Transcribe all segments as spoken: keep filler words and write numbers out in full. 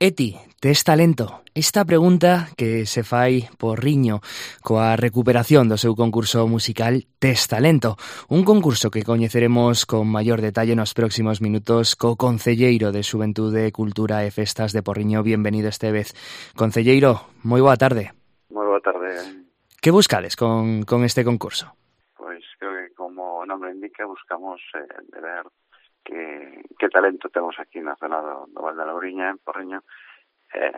E ti, tes talento? Esta pregunta que se fai por Riño coa recuperación do seu concurso musical Tes Talento, un concurso que coñeceremos con maior detalle nos próximos minutos co concelleiro de Xuventude, Cultura e Festas de Porriño. Bienvenido este vez. Concelleiro, moi boa tarde. Moi boa tarde. Que buscades con, con este concurso? Pois creo que como o nome indica buscamos eh, de ver que, que talento temos aquí na zona do, do Val da Louriña, en Porriño, eh,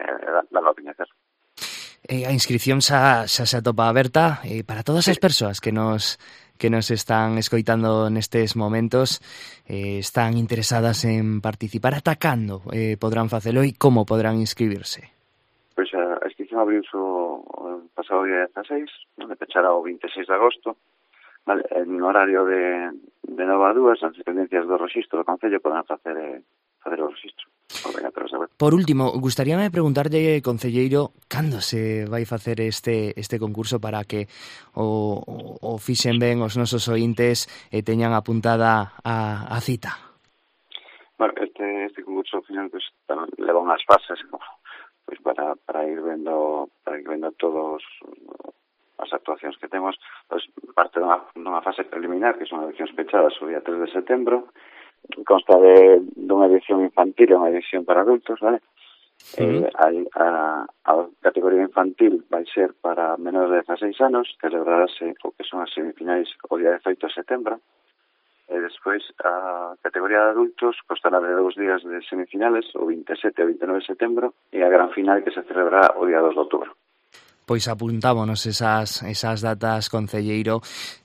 dalo a coñecer. Eh, a inscripción xa, xa se atopa aberta eh, para todas as persoas que nos que nos están escoitando nestes momentos, eh, están interesadas en participar. Atacando eh, podrán facelo e como podrán inscribirse? Pois a, a inscripción abriuse o pasado día dezaseis, onde pechará o vinte e seis de agosto. Vale, en horario de, de nove a dúas, as dependencias do rexistro do Concello poden facer, eh, facer o rexistro. Por último, gustaríame preguntarlle, concelleiro, cando se vai facer este este concurso para que o, o, o fixen ben os nosos ointes e teñan apuntada a, a cita? Bueno, este, este concurso ao final pues, leva unhas fases pues, para, para ir vendo para ir vendo todos as actuacións que temos, pues, parte dunha, dunha fase preliminar, que son eleccións pechadas o día tres de setembro, consta de dunha edición infantil e unha edición para adultos, vale? Uh-huh. Eh, a, a, a categoría infantil vai ser para menores de dezaseis anos, celebrarase o que son as semifinais o día dezaoito de setembro, e despois a categoría de adultos constará de dous días de semifinales, o vinte e sete e vinte e nove de setembro, e a gran final que se celebrará o día dos de outubro. Pois apuntámonos esas, esas datas, concelleiro.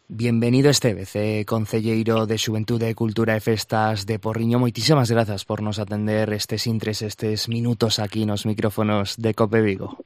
Bienvenido este vez, eh, concelleiro de Xuventude, Cultura e Festas de Porriño. Moitísimas grazas por nos atender estes intres, estes minutos aquí nos micrófonos de Cope Vigo.